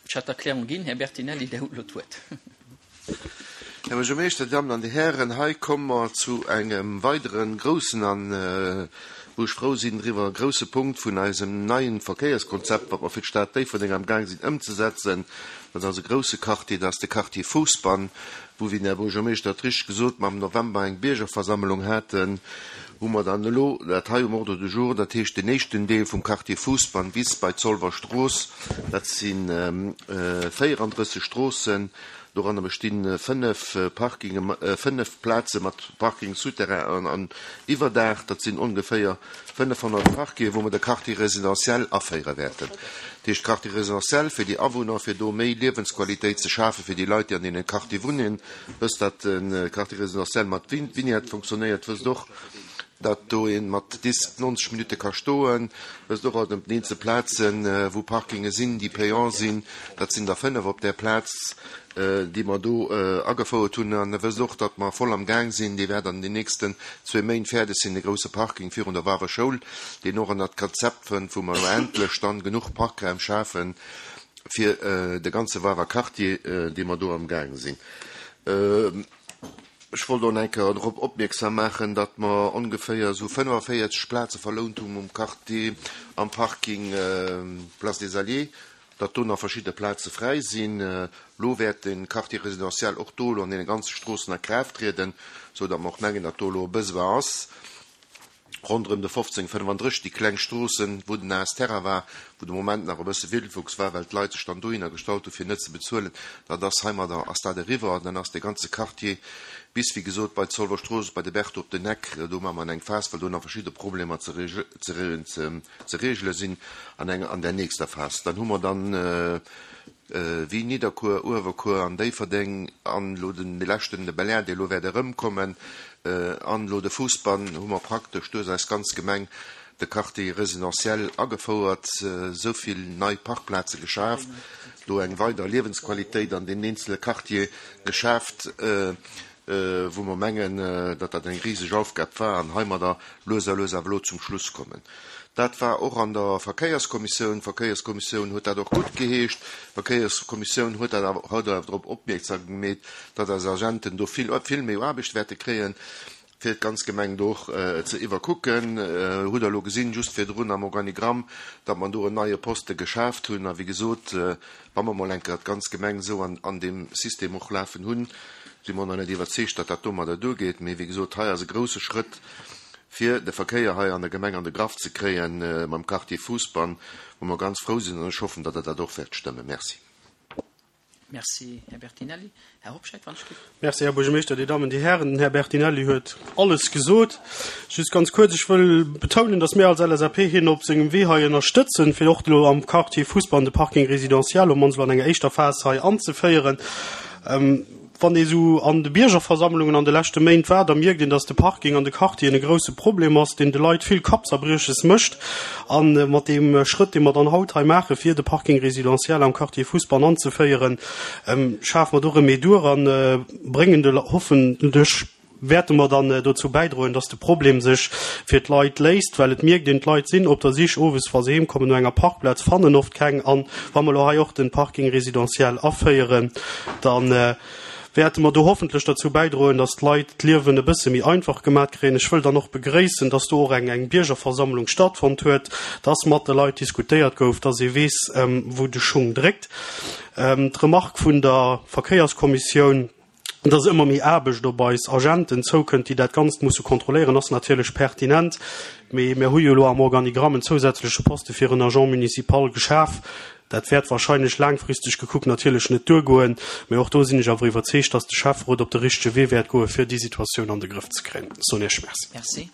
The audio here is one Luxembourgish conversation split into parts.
Ech hat d'Erklärung ginn. Här Bertinelli, Dir hutt elo d'Wuert. Här Buergermeeschter, Dir Dammen an Dir Hären, hei komme mer zu engem weidere groussen an, wou ech frou sinn driwwer, grousse Punkt vun eisem neien Verkéierskonzept, wat mer fir d'Stad Déifferdeng am Gaang sinn ëmzesetzen. Dat ass e grousse Quartier, dat ass de Quartier Fousbann, wou, wéi den Här Buergermeeschter et richteg gesot, mer am November eng Biergerversammlung haten, hu mer dann elo dat hei um Ordre du jour, dat heescht den éischten Deel vum Quartier Fousbann bis bei d'Zolwer Strooss. Dat si 34 Stroossen, doranner besti 5 Parkinge, 5 Plaze mat Parking souterrain an Iwwerdaach. Dat sinn ongeféier 500 Parkingen, wou mer de Quartier résidentiel aféiere wäerten. Dat heescht Quartier résidentiel fir déi Awunner, fir do méi Liewensqualitéit ze schafe fir déi Leit, déi an deene Quartiere wunnen. Wësst, datt de Quartier résidentiel mat Vignette fonctionnéiert, wësst och, datt do ee mat Disk 90 Minutte ka stoen, wësst och, datt op den eenzel Plazen, wou Parkinge sinn, déi payant sinn, dat sinn der 5 op där Plaz, déi mer do agefouert hunn, an wësst och, datt mer voll am Gaang sinn, dee wäert an den nächsten zwee Méint fäerdeg sinn, de grousse Parking virun der Wawer Schoul, deen och an dat Konzept fënnt, wou mer elo endlech dann genuch Parkraum schafen, fir de ganze Wawer Quartier, dee mer do am gaange sinn. Ech wollt och nach eng Kéier drop opmierksam maachen, datt mer ongeféier esou 45 Plaze verlount hunn um Quartier, am Parking Place des Alliés, datt do nach verschidde Plaze fräi sinn. Elo wäert de Quartier résidentiel och do elo an deene ganze Stroossen a Kraaft trieden, esou datt mer och mengen, datt do elo e Besoin ass. Ronderëm de 1535, déi kleng Stroossen, wou den AS Terra war, wou de Moment nach e bësse Wildwuchs war, well d'Leit sech dann dohinner gestallt hu fir net ze bezuelen, dat ass heimadder ass dat eriwwer an dann ass dee ganze Quartier bis, wéi gesot, bei d'Zolwer Strooss, bei de Berthe op den Eck, do maache mer eng Phas, well do nach verschidde Problemer ze regele sinn an enger, an där nächster Phas. Dann hu mer dann wéi Nidderkuer, Uewerkuer an Déifferdeng an elo den dee leschten, de Belair, dee elo wäert erëmkommen, an elo de Fousbann, hu mer praktesch duerch eis ganz Gemeng de Quartier résidentiel agefouert, esou vill nei Parkplaze geschaf, do eng weider Liewensqualitéit an deenen eenzele Quartiere geschaaft, wou mer mengen, datt dat eng riseg Aufgab war an heimadder lues a lues awer elo zum Schluss kommen. Dat war och an der Verkéierskommissioun. D'Verkéierskommissioun huet dat och guttgeheescht. D'Verkéierskommissioun huet dat awer huet awer drop opmierksam gemeet, datt eis Agenten do vill, vill méi Aarbecht wäerte kréien, fir d'ganz Gemeng do och ze iwwerkucken. Hutt Der elo gesinn, just virdrun am Organigramm, datt mer do en neie Poste geschaaft hunn. A wéi gesot, wa mer mol eng Kéier d'ganz Gemeng esou an, an deem System och lafen hunn, si mer och nach net iwwerzeegt, datt dat domadder duergeet. Mee wéi gesot, hei ass e grouse Schrëtt, fir de Verkéier hei an der Gemeng an de Graff ze kréien mam Quartier Fousbann, wou mer ganz frou sinn, an ech hoffen, datt Der dat och wäert stëmmen. Merci. Merci, Här Bertinelli. Här Hobscheit, wann ech giff. Merci, Här Buergermeeschter, Dir Dammen, Dir Hären. Den Här Bertinelli huet alles gesot. Just ganz kuerz, Ech wëll betounen, datt mir als LSAP hien op sengem Wee hei ënnerstëtzen, fir och elo am Quartier Fousbann de Parking résidentiel op mannst elo an enger éischter Phas hei anzeféieren. Wann ee sou an de Biergerversammlungen an de leschte Méint war, da mierkt een, dass de Parking an de Quartieren e grousse Problem ass, deen de Leit vill Kappzerbrieches mécht. A mat deem Schrëtt, dee mer dann haut hei maachen, fir de Parking résidentiel am Quartier Fousbann anzeféieren, schafe mer do Remedur a bréngen de, hoffentlech wäerte mer dann dozou bäidroen, dass de Problem sech fir d'Leit léist, well et mierkt een, d'Leit sinn op der Sich owes, wa se heem kommen, no enger Parkplaz, fannen oft keng. An wa mer elo hei och de Parking résidentiel aféieren, da wäerte mer do hoffentlech derzou bäidroen, dass d'Leit d'Liewen e bësse méi einfach gemat kréien. Ech wëll dann och begréissen, dass do och eng eng Biergerversammlung stattfonnt huet, dass mat de Leit diskutéiert gouf, dass ee weess, wou de Schung dréckt. D'Remark vun der Verkéierskommissioun, dass ëmmer méi Aarbecht op eis Agenten zoukënnt, déi dat Ganzt musse kontrolléieren, ass natierlech pertinent. Mee mir hu jo elo am Organigramm en zousätzleche Poste fir en Agent municipal geschaf. Dat wäert wahrscheinlech laangfristeg gekuckt natierlech net duergoen, mee och do sinn ech awer iwwerzeegt, dass de Schäfferot op de richtege Wee wäert goen, fir déi Situatioun an de Grëff ze kréien. Soen Iech Merci. Merci.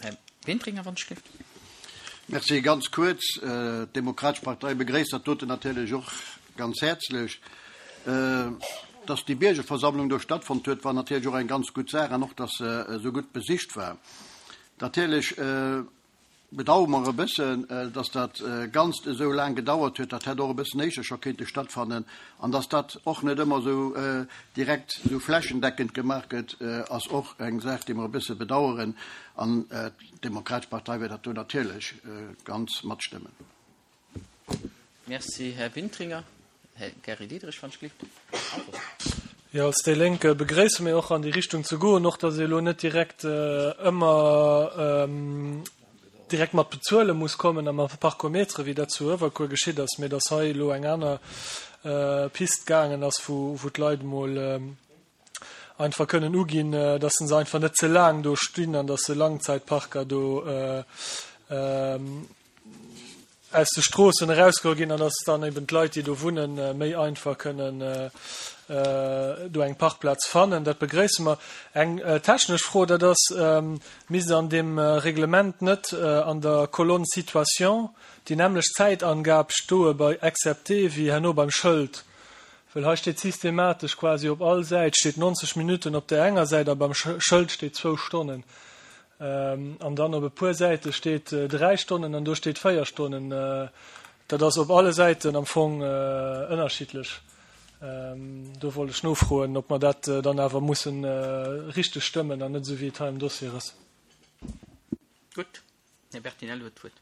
Här Wintringer, wann ech gelift. Merci. Ganz kuerz, D'Demokratesch Partei begréisst dat doten natierlech och ganz häerzlech. Dass déi Biergerversammlung do stattfonnt huet, war natierlech och eng ganz gutt Saach an och, dass se esou gutt besicht war. Natierlech bedauere mer e bëssen, dass dat Ganzt esou laang gedauert huet. Dat hätt och e bëssen éischter scho kéinte stattfannen. An dass dat och net ëmmer esou direkt esou flächendeckend gemaach gëtt, ass och eng Saach, déi mer e bësse bedauern. An d'Demokratesch Partei wäert dat do natierlech ganz matstëmmen. Merci, Här Wintringer. Här Gary Diderich, wann ech gelift. Jo, als déi Lénk begréisse mir och an déi Richtung ze goen, och datt ee elo net direkt ëmmer direkt mat bezuele muss kommen a mat Parkometere wéi dat zu Uewerkuer geschitt ass, mee datt hei elo eng aner Pist gaangen ass, wou d'Leit emol einfach kënnen uginn, datt se einfach net ze laang do stinn an datt se Langzeitparker do aus de Stroossen erausgeholl ginn an dass dann eben d'Leit, déi do wunnen, méi einfach kënnen do eng Parkplaz fannen. Dat begréisse mer. Eng technesch Fro, dat ass, Misst an deem Reglement net an der Kolonn Situation déi nämmlecht Zäitangab stoe bei excepté wéi herno beim Schëld? Well hei steet systematesch quasi op all Säit steet 90 Minutten op där enger Säit a beim Schëld steet zwou Stonnen. An dann op e puer Säite steet 3 Stonnen an do steet 4 Stonnen. Dat ass op alle Säiten am Fong ënnerschiddlech. Do wollt ech nofroen, ob mer dat dann awer mussen richteg stëmmen an net esou wéi et hei am Dossier ass. Gutt, Här Bertinelli huet d'Wuert.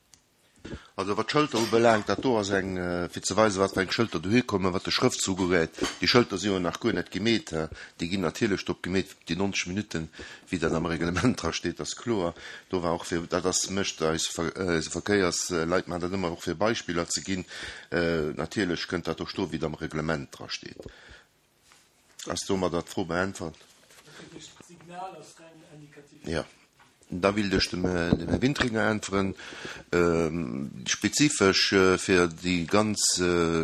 Also wat d'Schëlter ubelaangt, dat do ass eng, fir ze weisen, wat fir eng Schëlter dohi kommen, wat de Schrëftzug ugeet. Déi Schëlter si jo nach guer net gemeet. Déi ginn natierlech drop gemeet, déi 90 Minutten, wéi dat am Reglement dra steet, ass kloer. Do war och fir, dat ass, mécht eis, eise Verkéiersleit maachen dat ëmmer och fir Beispiller ze ginn. Natierlech kënnt dat do stoen, wéi et am Reglement dra steet. Ass domadder d'Fro beäntwert? Jo. Da willt ech dem Här Wintringer äntweren. Spezifesch fir déi ganz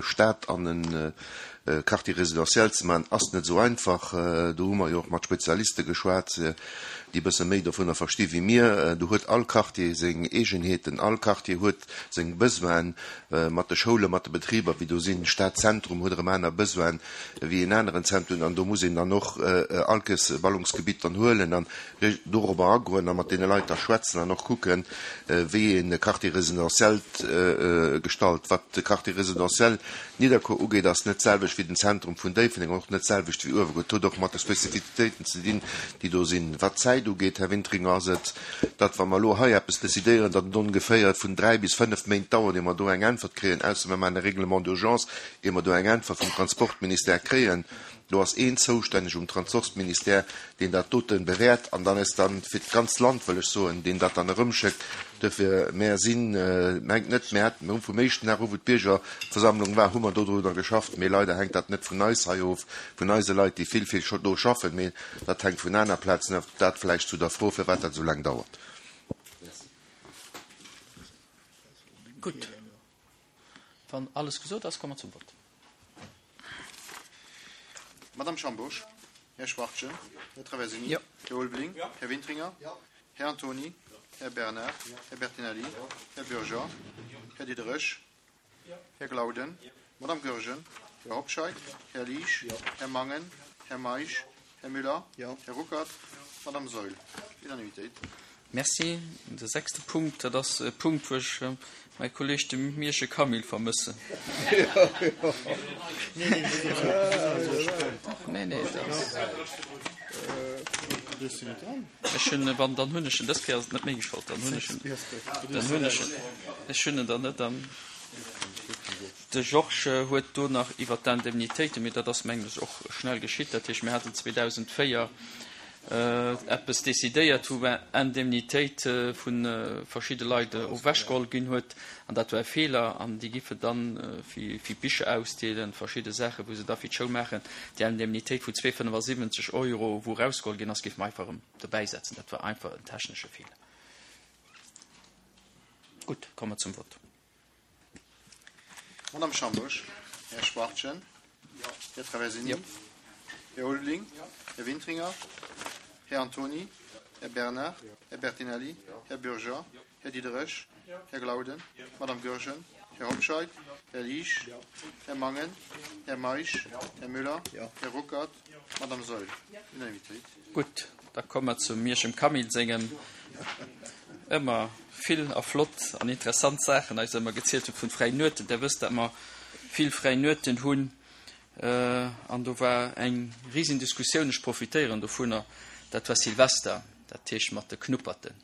Stad an e Quartier résidentiel ze maachen, ass net esou einfach. Do hu mer jo och mat Spezialiste geschwat, déi e bësse méi dovunner versti wéi mir. Do huet all Quartier seng Eegenheeten, all Quartier huet seng Besoinen mat de Schoulen, mat de Betriber, wéi do sinn. Stadzentrum huet erëm aner Besoinen wéi en aneren Zentrum an do muss een dann och allkes e Ballungsgebitt dann huelen an dorobber agoen a mat deene Leit da schwätzen an och kucken, wéi een e Quartier résidentiel gestalt. Wat de Quartier résidentiel Nidderkuer ugeet, ass net d'selwecht wéi den Zentrum vun Déifferdeng an och net d'selwecht wéi Uewerkuer. Et huet och mat de Spezifizitéiten ze dinn, déi do sinn. Wat d'Zäit ugeet, Här Wintringer, ass et, datt, wa mer elo hei eppes decidéieren, datt et ongeféier vun dräi bis fënnf Méint dauert, ier mer do eng Äntwert kréien, ausser mer maachen e Règlement d'urgence, ier mer do eng Äntwert vum Transportministère kréien. Do ass een zoustänneg um Transorstministère, deen dat dote bewäert an dann ass dann fir d'ganzt Land, wëll ech soen, deen dat dann erëmschéckt. Duerfir, mär sinn, mengt net, mär hätten, mir hu vum éischten Dag u wou d'Biergerversammlung war, hu mer dodrunner geschafft, mee leider hänkt dat net vun eis hei of, vun eise Leit, déi vill, vill do schaffen, mee dat hänkt vun aner Plazen of. Dat vläicht zu der Fro, firwat dat esou laang dauert. Gutt. Wann alles gesot ass, komme mer zum Vott. Madame Schambourg, Här Schwachtgen, Här Traversini, Här Ulveling, Här Wintringer, Här Antony, Här Bernard, Här Bertinelli, Här Bürger, Här Diderich, Här Glauden, Madame Goergen, Här Hobscheit, Här Liesch, Här Mangen, Här Meisch, Här Müller, Här Ruckert, Madame Saeul. Unanimitéit. Merci. De sechste Punkt, dat ass e Punkt, wou ech mäi Kolleeg, de Miersche Camille, vermëssen. Nee, nee, dat ass. Ech hunn, wann, dann hunn ech en, dës Kéier ass et net meng Schold, dann hunn ech en, dann hunn ech en, ech hunn en dann net am. De Georges huet do nach iwwert d'Indemnitéiten, mee dat ass, mengen ech, och schnell geschitt. Dat heescht, mir haten 2004 eppes decidéiert, wou Indemnitéit vu verschidde Leit ewechgeholl ginn huet, an dat war e Feeler, an déi giffe dann fir Bicher ausdeelen, verschidde Saachen, wou se da fir d'Schoul maachen, déi Indemnitéit vu 2,75 Euro, wou erausgeholl ginn ass, géife mer einfach erëm dobäisetzen. Dat war einfach en technesche Feeler. Gutt, komme mer zum Vott. Madame Schambusch, Här Schwachtgen, Här Traversini, Här Ulveling, Här Wintringer, Här Antony, Här Bernard, Här Bertinelli, Här Bürger, Här Diderich, Här Glauden, Madame Goergen, Här Hobscheit, Här Liesch, Här Mangen, Här Meisch, Här Müller, Här Ruckert, Madame Saeul. Unanimitéit. Gutt, da komme mer zum Mierschem Camille sengem ëmmer vill a flott an interessant Saachen eis ëmmer gezielt huet vun fräien Nueten. Der wësst, dat mer vill fräi Nueten hunn an do war eng risen Diskussioun, ech profitéieren dovunner, dat war Silvester, dat heescht mat de Knupperten.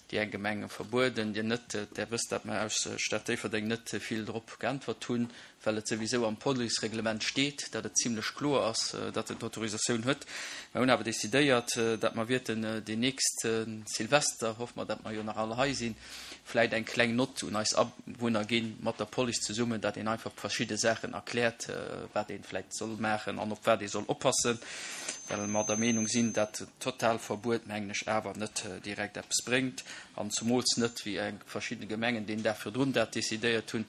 Déi eng Gemenge verbueden, déi net. Där wësst, dat mer aus Stad Déifferdeng net vill drop geäntwert hunn, well et souwisou am Policereglement steet, dat et zimlech kloer ass, datt en d'Autorisatioun huet. Mer hunn awer decidéiert, dat mer wierten deen nächste Silvester, hoffe mer, dat mer jo nach all hei sinn, vläit eng kleng Nott un eis Awunner ginn, mat der Police zesummen, dat een einfach verschidde Saachen erkläert, wat ee vläit soll maachen an op wat ee soll oppassen, well mer der Meenung sinn, dat Totalverbuet, mengen ech, awer net direkt eppes bréngt, an zumools net, wéi eng verschidde Gemengen deen Dag virdrun dat decidéiert hunn.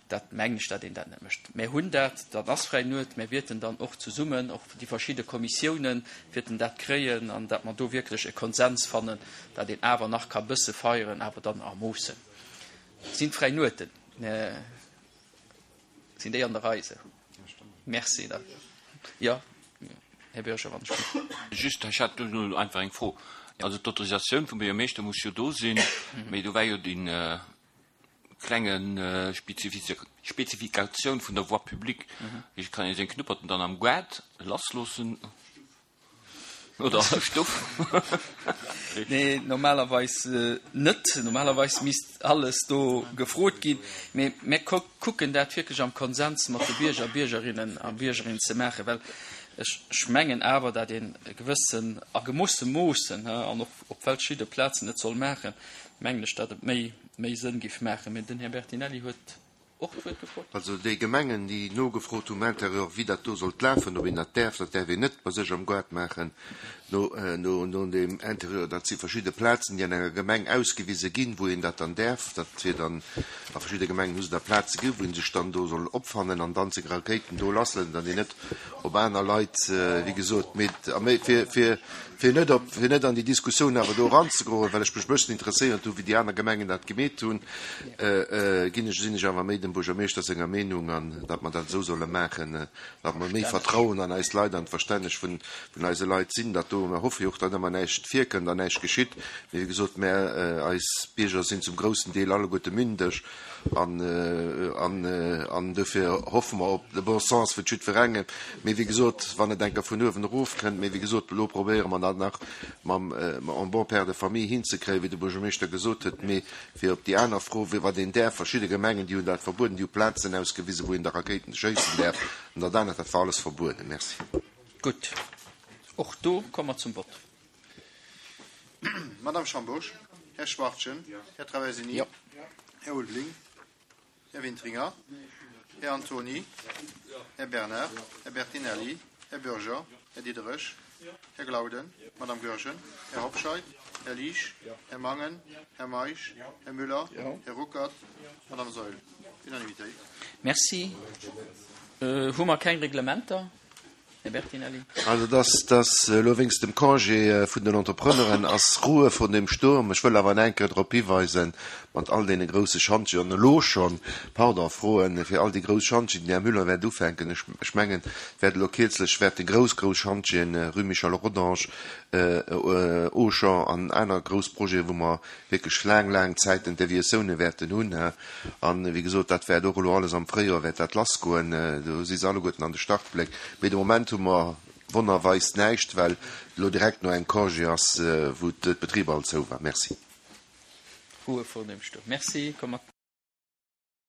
Dat mengen ech, dat een dat net mécht. Mär hunn dat, dat ass fräi Nuet, mär wierten dann och zesummen, och déi verschidde Kommissiounen wierten dat kréien, an dat mer do wierklech e Konsens fannen, dat een awer nach ka bësse feieren, awer dann a Moossen. Sinn d'fräi Nueten, sinn déi an der Rei esou? Merci. Da, jo, Här Bürger, wann ech. Just, ech hat do elo einfach eng Fro. Also d'Autorisatioun vum Buergermeeschter muss jo do sinn, mee do war jo déi klenge Spezifikatioun vun der Voie publique. Wéi kann ee seng Knupperten dann am Gaart lassloossen? Oder an der Stuff? Nee, normalerweis net. Normalerweis misst alles do gefrot ginn. Mee mir kucken dat wierklech am Konsens mat de Bierger, Biergerinnen a Biergerinnen ze maachen, well ech mengen awer, dat een e gewëssen, a gemoosse Moossen an och op verschidde Plazen et soll maachen, mengen ech, dat et méi méi Sënn giff maachen. Mee den Här Bertinelli huet och d'Wuert gefrot. Also déi Gemengen, déi nogefrot hu um Intérieur, wéi dat do sollt lafen, ob een dat däerf, dat däerf een net bei sech am Gaart maachen, no no dem Intérieur, dat si verschidde Plazen, déi an enger Gemeng ausgewise ginn, wou een dat dann däerf. Dat wier dann, a verschidde Gemengen hu se da Plaze gi, wou ee sech dann do soll opfannen an dann seng Rakéiten do lasselen, datt een net op aner Leit, wéi gesot, mee fir, fir, fir net op, fir net an déi Diskussioun awer do eranzegoen, well ech mech e bëssen interesséiert hu wéi déi aner Gemengen dat gemeet hunn, ginn ech, sinn ech awer méi dem Buergermeeschter senger Meenung an datt mer dat esou solle maachen, datt mer méi Vertrauen an eis Leit, an d'Verstänneg vun, vun eise Leit sinn, datt do, mer hoffe jo och, datt ëmmer näischt virkënnt an näischt geschitt, mee wéi gesot, mär, eis Bierger sinn zum groussen Deel alleguerte mündeg An, an, an dofir hoffe mer op de bon sens vun jiddwerengem. Mee wéi gesot, wann et eng Kéier vun uewen erof kënnt, mee wéi gesot, elo probéiere mer dat nach mam, en bon père de famille hinzekréien, wéi de Buergermeeschter gesot huet. Mee fir op déi aner Fro, wéi wat een däerf, verschidde Gemengen, déi hunn dat verbueden, déi hu Plazen ausgewisen, wou een da Rakéiten schéissen däerf. An dat anert, dat war alles verbueden. Merci. Gutt, och do komme mer zum Vott. Madame Schambourg, Här Schwachtgen, Här Traversini, Här Ulveling, Här Wintringer, Här Antony, Här Bernard, Här Bertinelli, Här Bürger, Här Diderich, Här Glauden, Madame Goergen, Här Hobscheit, Här Liesch, Här Mangen, Här Meisch, Här Müller, Här Ruckert, Madame Saeul. Unanimitéit. Merci. Hu mer keng Reglementer? Här Bertinelli. Also dass dass elo wéinst dem Congé vun den Entrepreneuren ass Ruhe vor dem Sturm. Ech wëll awer nach eng Kéier drop hiweisen, mat all deene grousse Schantjen, an elo schonn, pardon, froen fir all déi grouss Schantjen, den Här Müller wäert ufänken, ech ech mengen, et wäert elo kierzlech wäerte grouss, grouss Schantjen, Rue Michel Rodange, Auchan an aner grouss Projeten, wou mer wierklech laang, laang Zäiten Deviatioune wäerten hunn. An, wéi gesot, dat wäert och elo alles am Fréijoer wäert dat lassgoen. Do si se alleguerten an de Startbléck. Mee de Moment hu mer wonnerweis näischt, well et elo direkt no engem Congé ass, wou d'Betriber all zou war. Merci. Ruhe vor dem Sturm. Merci. Komme mer.